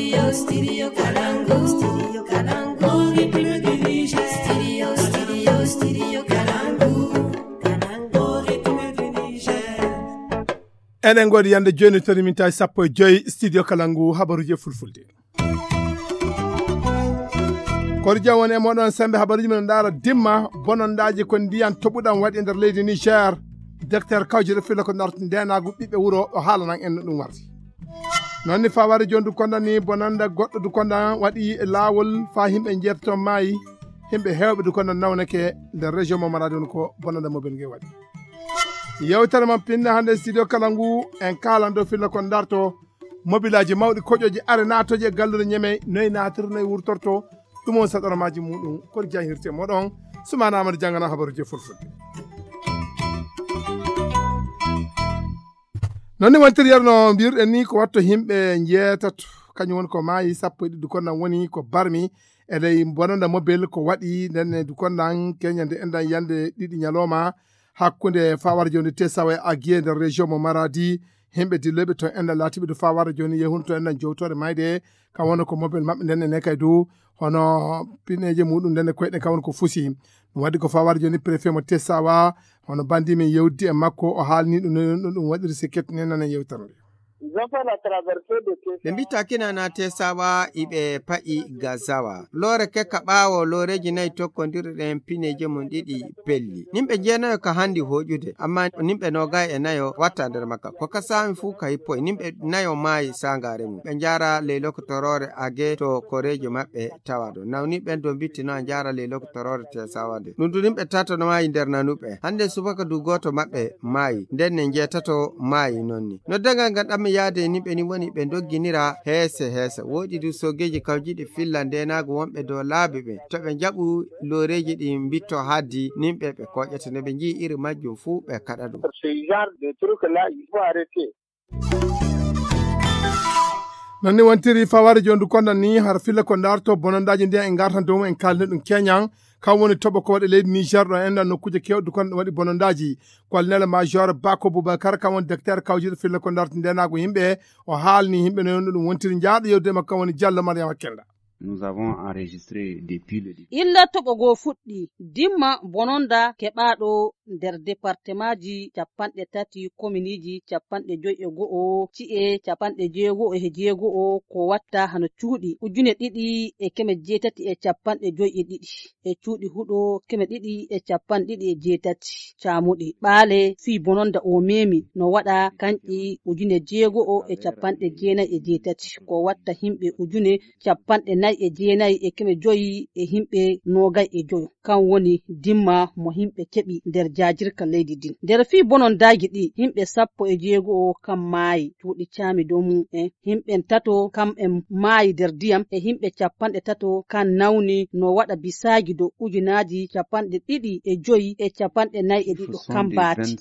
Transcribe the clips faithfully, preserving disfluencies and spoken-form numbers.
Studio Kalangu, Studio Kalangu, Studio Kalangu, Kalangu, Eɗen ngoodi yande jooni to riminta e sappo e joy studio Kalangu habaruji e fulfulde. Koɗo jam woni e moɗon sembe habaruji men ndaara dimma bonondaji ko ndiyan toɓuɗan waɗi e nder leydi Niger. Docteur Kawjire Filo ko narti ndenagu ɓiɓɓe wuro o haalanan en no ɗum warti. Noon ni faware jondu konda ni bonanda goɗɗo du konda waɗi e laawol fa himɓe jeetato maayi. Himɓe hewɓe du konda nawnake nder région mo maradi on ko bonanda mobile nge waɗi. Yewtere mon pinne hannde studio kala ngu en kaalan dow filla kon darto mobilaji mawɗi koƴoji are naatoji e gallude ñeme noye naatirta noye wurtorto. Ɗum on saɗormaji muɗum kono jahirte moɗon. Sumana amadou jangana habaruji e fulfulde. Noon ni wontiriyerno mbirɗen ni ko watto himɓe njeetato kañum woni ko maayi sappo e ɗiɗi dukonnan woni ko barmi e ley bononda mobel ko waɗi ndenne dukonnan keñande endan yande ɗiɗi ñalawma hakkunde fawar joni tesawa e agiye nder région mo maradi. Himɓe dilloyɓe to endan laatiɓe du fawar joni yehun to endan jowtore mayde kam wona ko mobel maɓɓe nden ene kay du hono pineje muɗum nden e koyɗe kam woni ko fusi. Ɗum waɗi ko fawar joni préfet mo tesawa hono bandi min yewdi e makko o haalni ɗum no ɗum waɗiri si kettinen nanen yewtere nde. Ils ont fait la traversée de Tessawa. Ɓe mbitta kinana tesawa iɓe pa'i gazawa loore kekka ɓaawo looreji nayi tokkondirɗen pineji mum ɗiɗi pelli. Nimɓe jeenayo ka handi hoƴude amma nimɓe nogay e nayo watta nder makka ko ka sami fuu ka hippoy nimɓe nayo maayi sangare mum ɓe njara ley lokotorore age to koreji maɓɓe tawaɗo nawni ɓen do mbitti no a njara ley lokotorore tesawa nde ɗum du nimɓe tato no maayi nder nanuɓe hande subaka du goto maɓɓe maayi nden ne njeetato maayi noon ni. Noddagal ngal ɗammi yaade e nimɓe ni woni ɓe ndogginira heese heese woɗi du sogeji kawjiɗi filla ndenaagu wonɓe dow laabi ɓe to ɓe njaɓu looreji ɗi mbitto haddi nimɓe ɓe koƴata nde ɓe njii iri majjum fuu ɓe kaɗa ɗum. Ce genre de truc là il faut arrêter. Noon ni wontiri faware jondu kondan ni har filla ko darto bonondaji ndiyan e gartan dow mum en kalni ɗum keñan. Kam woni toɓo ko waɗi leydi niger ɗo enɗan nokkuje kewɗe kon waɗi bonondaji. Colonel major bako boubacar kam woni docteur kawjiɗo filla ko darto ndenago yimɓe o haalni yimɓe no yonno ɗum wontiri jaaɗo yewde makko kam woni diallo mariama kenda. Nous avons enregistré depuis le début. Illa toɓo goo fuɗɗi dimma bononda keɓaaɗo nder departemaaji capanɗe tati kominiiji capanɗe joyi e go'o ci'e capanɗe jeego'o e jeego'o ko watta hano cuuɗi ujune ɗiɗi e keme jeetati e capanɗe joyi e ɗiɗi e cuuɗi huɗo keme ɗiɗi e capanɗe ɗiɗi e jeetati caamuɗi ɓaale fii bononda o meemi no waɗa kanƴi ujune jeego'o e capanɗe jeenayi e jeetati ko watta himɓe ujune capanɗe nayi e jeenayi e keme joyi e himɓe noogay e joyo kan woni dimma mo himɓe keɓi nder jaajirka leydi ndin nder fii bonondaaji ɗi himɓe sappo e jeego'o kan maayi cuuɗi caami dow mum en himɓen tato kam en maayi nder diyam e himɓe capanɗe tato kan nawni no waɗa bisaaji dow ujunaaji capanɗe ɗiɗi e joyi e capanɗe nayi e ɗiɗo kan baati.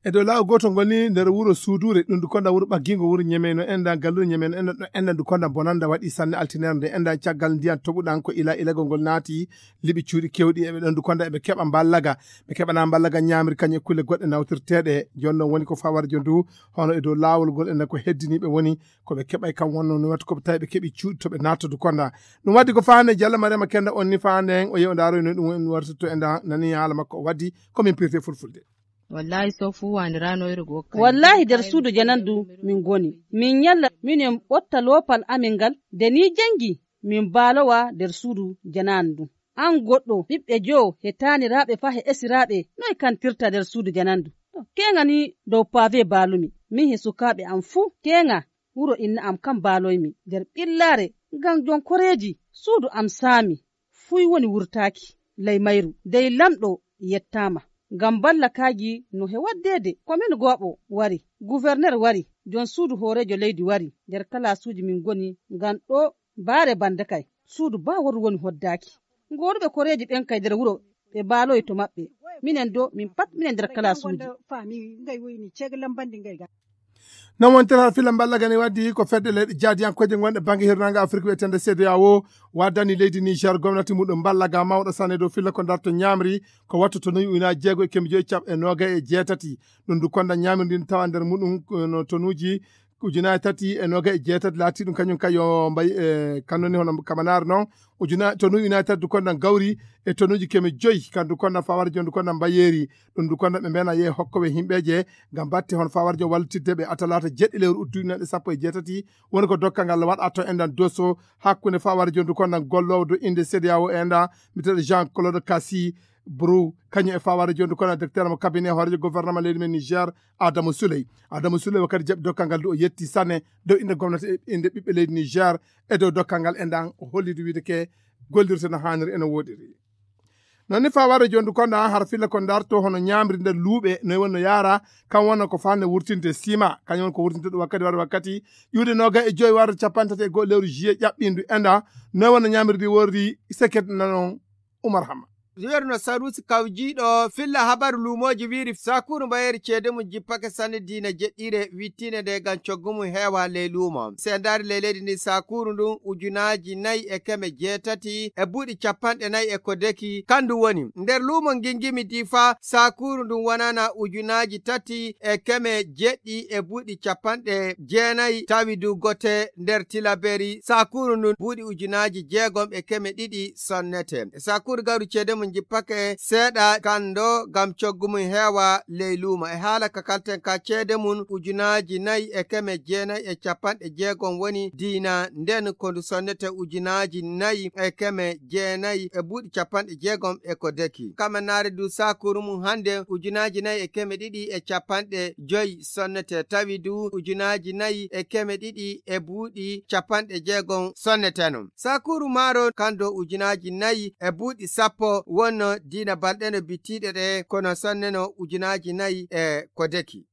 E dow laawol gootol ngol ni nder wuro suuduure ɗum du konda wuro ɓaggingo wuro ñemeyno enɗan galluure ñemeyno enɗan ɗo enɗan du konda bonanda waɗi sanne altinere nde enɗan caggal ndiyan toɓuɗan ko ila ilagol ngol naati liɓi cuuɗi kewɗi eɓe ɗon du konda eɓe keɓa mballaga ɓe keɓana mballaga ñaamiri kañum e kulle goɗɗe nawtirteeɗe. Jooni noon woni ko fawar jo ndu hono e dow laawol ngol enɗan ko heddiniiɓe woni ko ɓe keɓay kam wonno no wata ko ɓe tawi ɓe keɓi cuuɗi to ɓe natta du konda. Ɗum waddi ko faane jalla mariama kenda on ni faande en o yewndaaro no ɗum wartirto enɗan nani haala makko o waddi ko min pirte fulfulde. Wallahi so fuu wandirano iri go wallahi nder suudu janandu min ngoni min ñalla minen ɓotta loopal amin ngal nde ni jangi min baalowa nder suudu janandu an goɗɗo ɓiɓɓe joo he taaniraaɓe faa he esiraaɓe noy kantirta nder suudu janandu. Keeŋa ni dow paave baalumi min he sukaaɓe am fuu keeŋa wuro inna am kam baaloymi nder ɓillaare ngam jonkoreeji suudu am saami fuy woni wurtaaki ley mayru dey lamɗo yettaama. Ngam ballakaaji no he waddeede komin gooɓo wari guverner wari jom suudu hooreejo leydi wari nder kalaasuuji min ngoni ngam ɗo baare bannde kay suudu baa woru woni hoddaaki. Gooruɓe koreeji ɓen kay nder wuro ɓe baaloyi to maɓɓe minen do min pat minen nder kalaasuuji. Non wontere har filla mballa gane waddi ko fedde leyɗe jaadiyankooje gonɗe bannge hirnaange afrik wiyetende cda o waddani leydi niger gomnati muɗum mballa ga mawɗo sanne dow filla ko darto ñamri ko wattu tonuji ujunaaji jeego e kemɓe joyi caɓ e noogay e jeetati. Ɗum du konda ñamri ndin tawa nder muɗum no tonuji ujunaaji tati e noga e jeetati laati ɗum kañum kay yo mbay e kanoni hono kamanaare noon. Ujuna tonu united du kondan gawri e tonuji keme joyi kandu kondan fawara jondu kondan mbayeri. Ɗum du kondan ɓe mbena ye hokkoɓe himɓeje ngam batte hon fawara jon wallitidde ɓe atalata jeɗɗi lewru uddu ujunaaji sappo e jeetati. Woni ko dokkal ngal waɗa to endan doso hakkunde fawara jondu kondan gollowo do inde cdao enda miteɗo jean claude cassi brou kañum e fawara jondu kondan directeur mo cabinet hoorejo gouvernement leydi men niger. Adamu souley adamu souley wakkati jaɓi dokkal ngal du o yetti sanne dow inde gomnati e inde ɓiɓɓe leydi niger. E dow dokkal ngal endan o hollidi wiide ke gollirta no haaniri ene woɗiri. Noon ni fawara jondu kondan har filla ko darto hono ñamri nder luuɓe noy wonno yaara. Kam wonno ko fande wurtinde sima kañum won ko wurtinde ɗum wakkati wara wakkati ƴuude noga e joyi warde capanɗe tati e goho lewru juillet ƴaɓɓindu enda. Noy wonno ñamri ndi worri seket nanon. Umar hamma. Riwerno sarusi kawjiɗo filla habaru lumoji wiri sakuru mbayeri ceede mum jippake sanne diina jeɗɗire wittine nde gam coggu mum heewa ley lumo se ndari ley leydi ndi sakuru ndun ujunaji nayi e keme jeetati e buuɗi capanɗe nayi e ko deki kandu woni nder lumo ngingimi difa sakuru ndun wonana ujunaji tati e keme jeɗɗi e buuɗi capanɗe jeenayi tawi du gote nder tilaberi sakuru ndun buuɗi ujunaji jeegom e keme ɗiɗi sonnete. E sakuru gawri ceede mum jippake seeɗa kando gam coggu mum heewa ley luumo e haala ka kalten ka ceede mum ujunaaji nayi e keme jeenayi e capanɗe jeegom woni diina nden ko ndu sonnete ujunaaji nayi e keme jeenayi e buuɗi capanɗe jeegom e ko deki kamanaare du sakuru mum hannde ujunaaji nayi e keme ɗiɗi e capanɗe joyi sonnete tawi du ujunaaji nayi e keme ɗiɗi e buuɗi capanɗe jeegom sonneteno. Sakuru maaro kando ujunaaji nayi e buuɗi sappo wonno diina balɗeno bittiiɗe ɗe kono sonneno ujunaaji nayi e ko deki.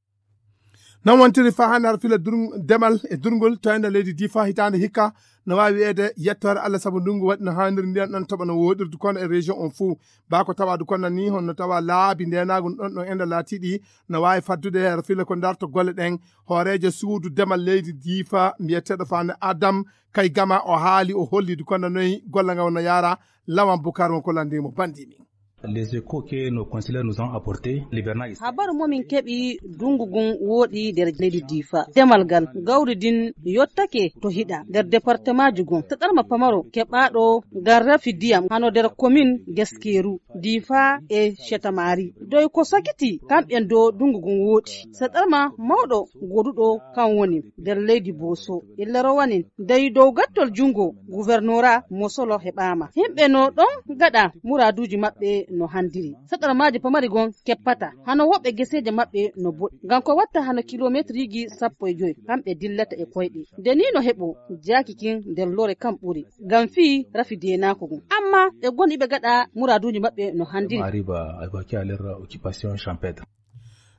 Non wontiri fa hannde har fila demal e durngol toynda leydi difa hitaande hikka no waawi wiyeede yettoore allah sabu ndungu waɗi no haaniri ndiyan ɗon toɓa no wooɗirdu kono e région on fuu baa ko tawaadu kono ni honno tawa laabi ndenaagu ɗon ɗon enda laatiiɗi no waawi faddude har fila ko darto golle ɗen. Hooreejo suudu demal leydi difa mbiyeteeɗo faande adam kay gama o haali o holli du kono noyi golle ngal wonno yaara. Lawan bukar won ko lanndimo banndimi. Les échos que nos consulateurs nous ont apportés l'hivernage. Habaru momin keɓi dungu gun wooɗi nder leydi difa demal ngal gawri din yottake to hiɗa nder département ji gon saɗarma pamaro keɓaɗo ngal rafi diyam hano nder commune geskeru difa e chetamari doy ko sakiti kamɓen do dungu gun wooɗi saɗarma mawɗo goduɗo kan woni nder leydi boso illa rowanin dey dow gattol jungo gouvernorat mosolo heɓama himɓe no ɗon gaɗa muraduji maɓɓe no handiri saɗarmaji pamari gon keppata hano woɓɓe geseje maɓɓe no boɗɗi ngam ko watta hano kilometriji sappo e joyi kamɓe dillata e koyɗe nde ni no heɓo jaaki kin nder lore kam ɓuri ngam fii rafi denako gon amma ɓe goni ɓe gaɗa muraduji maɓɓe no handiri. Arrive à évacuer à leur occupation champêtre.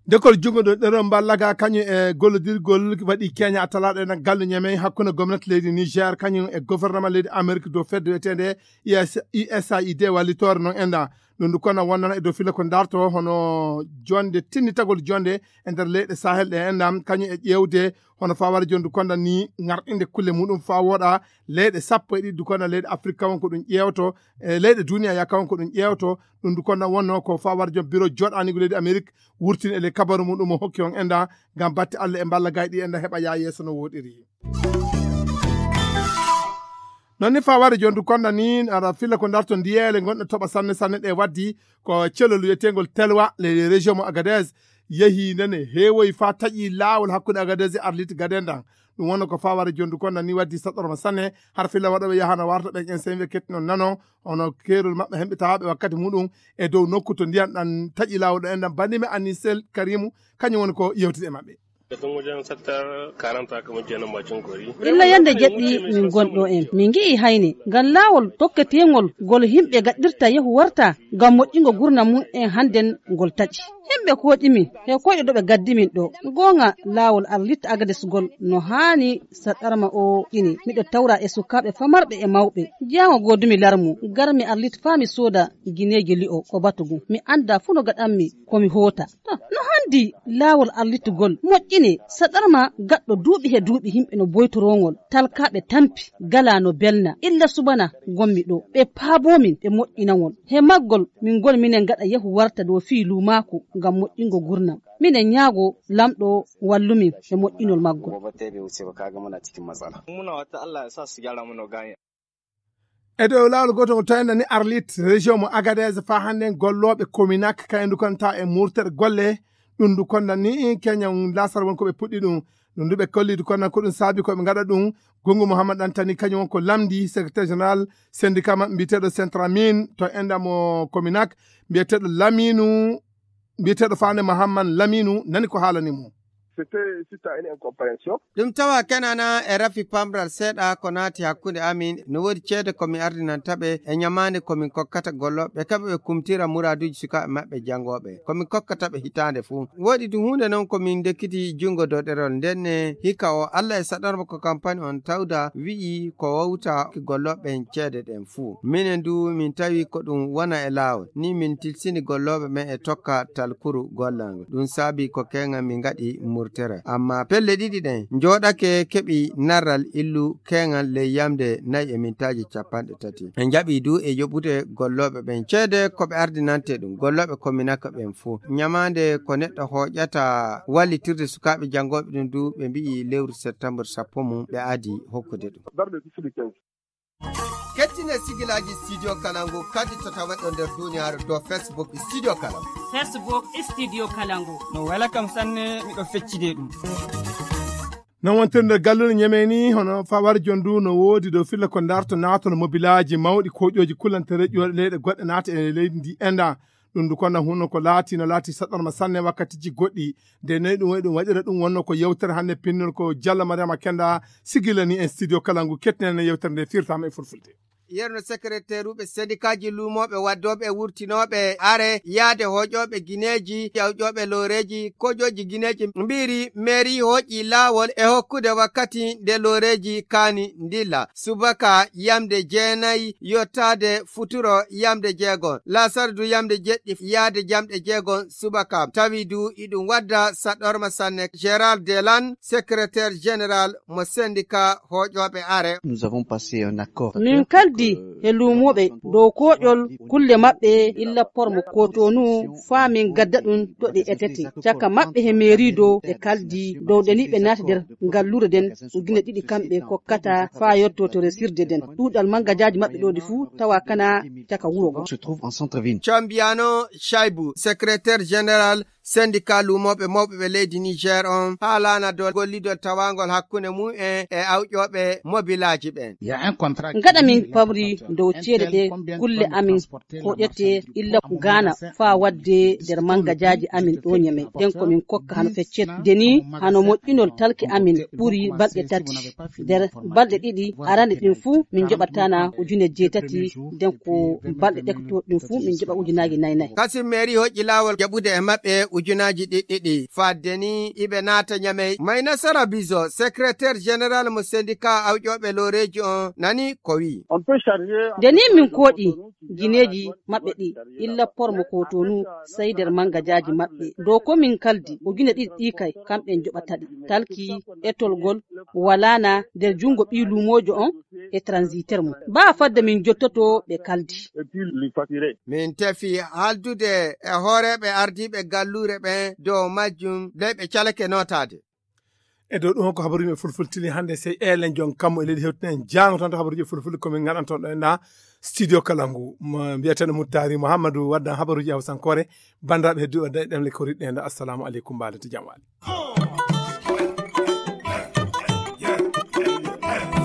Ndekol junngo ɗo ɗeɗo mballaga kañum e gollodirgol waɗi keña attalaɗo ena gallu ñamey hakkunde gomnati leydi niger kañum e gouvernement leydi amérique dow fedde wiyetende usaid wallitoore noon enda ɗum ndu kono wonnana e dow fila ko darto hono jonde tinnitagol jonde e nder leyɗe sahel ɗe enda kañum e ƴeewde hono fawara jondu konda ni ŋarɗinde kulle muɗum fa woɗa leyɗe sappo e ɗiɗi du konda leyɗe afrique kawon ko ɗum ƴeewto e leyɗe duniya ya kawon ko ɗum ƴeewto. Ɗum du konda wonno ko fawara jom biro joɗanigo leydi amérique wurtin e ley kabaru muɗum o hokki on enda ngam batte allah e mballa gayɗi enda heɓa ya yeeso no woɗiri. Non ni faware jondu konda ni ara filla ko darto ndiyele gonɗo toɓa sanne sanne ɗe waddi ko celol wiyetengol telwa ley région mo agadez yehi nene heewoyi fa taƴi laawol hakkunde agadez e arlit gaden ɗan. Ɗum wonno ko faware jondu konda ni waddi saɗɗorma sanne har filla waɗoɓe yahano warta ɓen en sen wiya kettinon nano hono keerol maɓɓe hemɓe tawaɓe wakkati muɗum e dow nokku to ndiyan ɗan taƴi laawol ɗo enɗan bandimi anisel karimu kañum woni ko yewtide e maɓɓe. Illa yande jeɗɗi min gonɗo en min ngi'i hayne ngam laawol tokketengol ngol himɓe gaɗɗirta yehu warta ngam moƴƴingo gurna mum en hannden ngol taƴi. Himɓe koƴimin he koyɗe ɗo ɓe gaddimin ɗo goonga laawol arlitta agadesgol no haani saɗarma o ƴini miɗo tawra e sukaaɓe famarɓe e mawɓe jaango goodumi larmu garmi arlit faa mi sooda gineeji li'o ko batu ngun mi annda fuu no gaɗanmi ko mi hoota. No hanndi laawol arlitugol moƴƴinee saɗarma gaɗɗo duuɓi he duuɓi yimɓe no boytoroo ngol talkaaɓe tampi galaa no belna illa subana ngonmi ɗoo ɓe paaboo min ɓe moƴƴina ngol he maggol min ngoni minen ngaɗa yahu warta ɗoo fii luumaaku ngam moƴƴingo nguurndam. Miɗen ñaago Lamɗo wallumin e moƴƴinol maggo. E dow laawol gootol ngol tawi nani Arlit, région mo Agadez, faa hannde gollooɓe Kominak kayndu kon tawa e murtere golle. Ɗum ndu kon nani keñan lasar won ko ɓe puɗɗi ɗum. Ɗum ndu ɓe kolli du kon nan ko ɗum saabi ko ɓe ngaɗa ɗum. Gungu Mouhammad Antani kañum won ko lamndi secrétaire général syndicat maɓɓe mbiyeteeɗo Centramin to enda mo Kominak, mbiyeteeɗo Laminu, mbiyeteeɗo Fane Mahamman Laminu nani ko haalani mo. C'était suite à une incompréhension. Ɗum tawa kenana e rafi pamral seeɗa ko naati hakkunde amin. No woodi ceede ko mi ardinanta ɓe e ñamaande ko min kokkata gollooɓe, ɓe kaɓa ɓe kumtira muraaduuji sukaaɓe maɓɓe janngooɓe. Ko min kokkata ɓe hitaande fuu. Woodi du huunde noon ko min ndekkiti junngo dow ɗerol. Ndenne hikka o Alla e saɗorma ko kampani on tawda wi'i ko wawta gollooɓe ɓen ceede ɗen fuu. Minen du min tawi ko ɗum wona e laawol. Ni min tilsini gollooɓe ɓen e tokka talkuru gollal ngol. Ɗum saabi ko keeŋal min ngaɗi murtere. Amma pelle ɗiɗi ɗen njooɗake keɓi narral illu keeŋal ley yamde nayi e mintaaji capanɗe tati. En njaɓi du e yoɓude gollooɓe ɓen ceede ko ɓe ardinante ɗum. Gollooɓe Kominaka ɓen fuu. Ñamaande ko neɗɗo hooƴata wallitirde sukaaɓe janngooɓe ɗum du ɓe mbi'i lewru septembre sappo mum ɓe adi hokkude ɗum. Kettine sigilaaji Studio Kalangu kadi to taweɗo nder duniyaaru dow Facebook Studio Kalangu. Facebook Studio Kalangu. No wela kam sanne, miɗo feccide ɗum. Non wontirde galluɗe ñamey ni, hono fawar jondu no woodi dow filla ko darto naatono mobilaaji mawɗi koƴooji kullantare ƴooɗe leyɗe goɗɗe naata e leydi ndi enda. Ɗum ndu konna hunno ko laati, no laati saɗɗorma sanne wakkatiji goɗɗi. Nde noy ɗum waɗi ɗum waɗira ɗum wonno ko yewtere hannde pinnol ko Jalla Mariama Kenda sigilani en studio kala ngu kettinen yewtere nde firtama e fulfulde. Yerno secrétaire uɓe sendikaaji luumooɓe waddooɓe e wurtinooɓe are yaade hooƴooɓe gineeji, yawƴooɓe looreeji, koƴooji gineeji mbiiri mairie hooƴi laawol e hokkude wakkati nde looreeji kaani ndilla. Subaka yamde jeenayi yottaade futuro yamde jeegon. Laasar du yamde jeɗɗi yaade jamɗe jeegon subaka. Tawi du iɗum wadda saɗorma sanne. Gérald Delan, secrétaire général mo syndicat hooƴooɓe are. Nous avons passé un accord. Min kaldi e luumooɓe dow koƴol kulle maɓɓe illa pormo Cotonou faa min gadda ɗum to ɗe etete. Caka maɓɓe he mairie dow ɓe kaldi dow ɗe ni ɓe naati nder ngalluure nden ujune ɗiɗi kamɓe kokkata faa yotto to resirde nden. Ɗuuɗal mangajaaji maɓɓe ɗo ɗi fuu tawa kana caka wuro go. Se trouve en centre-ville. Cambiano Shaibu, secrétaire général syndicat luumooɓe mawɓe ɓe leydi Niger on, haalana dow gollidol tawaangol hakkunde mum en e awƴooɓe mobilaaji ɓen. Ngaɗa min pamri dow ceede ɗe kulle amin koƴete illa Gaana faa waɗde nder mangajaaji amin ɗo Ñamey. Nden ko min kokka hano feccet. Nde ni hano moƴƴinol talki amin ɓuri balɗe tati. Nder balɗe ɗiɗi arande ɗin fuu min njoɓatana ujune jeetati. Nden ko balɗe ɗekto ɗin fuu min njoɓa ujunaaji nayi nayi. Kasim Meri hoƴƴi laawol jaɓude e maɓɓe ujunaaji ɗiɗi ɗiɗi. Fadde ni iɓe naata Ñamey. May Nasara Bizo, secrétaire général mo syndicat awƴooɓe looreeji on, nani ko wi'i. Nde ni min kooƴi gineeji maɓɓe ɗi, illa pormo Cotonou, sey nder mangajaaji maɓɓe. Dow ko min kaldi, ujune ɗiɗi ɗi kay, kamɓe njoɓata ɗi. Talki, etolgol, walaana nder junngo ɓii luumoojo on e transitaire mum. Baa fadde min jottoto ɓe kaldi. Min tefi haaldude e hooreeɓe ardiiɓe galluure ɓen dow majjum, dey ɓe calake nootaade. E dow ɗum ko habaruuji men fulfultini hannde, sey eelen jon kammu e leydi hewtinen jaango tan to habaruuji fulfulde ko min ngaɗanton ɗo e nda studio kala ngu. Mo mbiyeteeɗo Muttari Muhammadu waddan habaruuji hawsankoore. Banndiraaɓe hedduɓe ɗe ɗemle ko riɗɗe nda. Assalamu aleykum, mbaalete jam waali.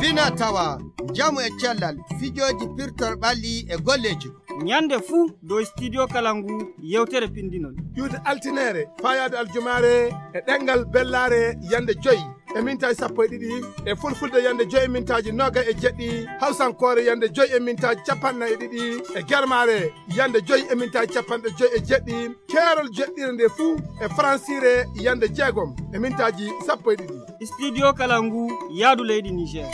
Fina tawa, njamu e cellal, fijooji pirtol ɓalli e golleeji. Ñande fuu dow studio kala ngu yewtere pindinol. Ƴuwde altineere, faayaade aljumaare e ɗemngal bellaare yande joyi e mintaaji sappo e ɗiɗi, e fulfulde yande joyi e mintaaji noogay e jeɗɗi, hawsankoore yande joyi e mintaaji capanɗe nayi e ɗiɗi, e germaare yande joyi e mintaaji capanɗe joyi e jeɗɗi, keerol jeɗɗire nde fuu e faransiire yande jeegom e mintaaji sappo e ɗiɗi. Studio kala ngu yaadu leydi Niger.